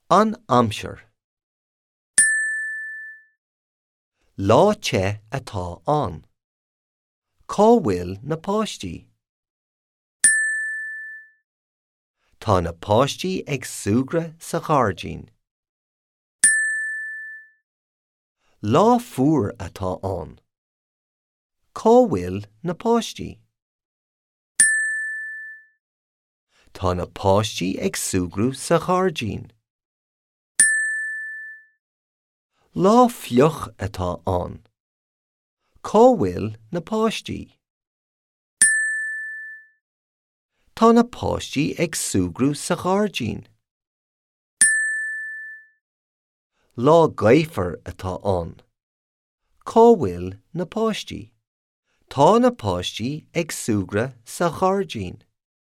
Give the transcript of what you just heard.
An aimsir. Lá te atá ann. Cá bhfuil na páistí? Tá na páistí ag súgradh sa ghairdín. Lá fuar atá ann. Cá bhfuil na páistí? Tá na páistí ag súgradh sa ghairdín. Lá fliuch atá ann. Cá bhfuil na páistí? Tá na páistí ag súgradh sa ghairdín. Lá gaofar atá ann. Cá bhfuil na páistí? Tá na páistí ag súgradh sa ghairdín.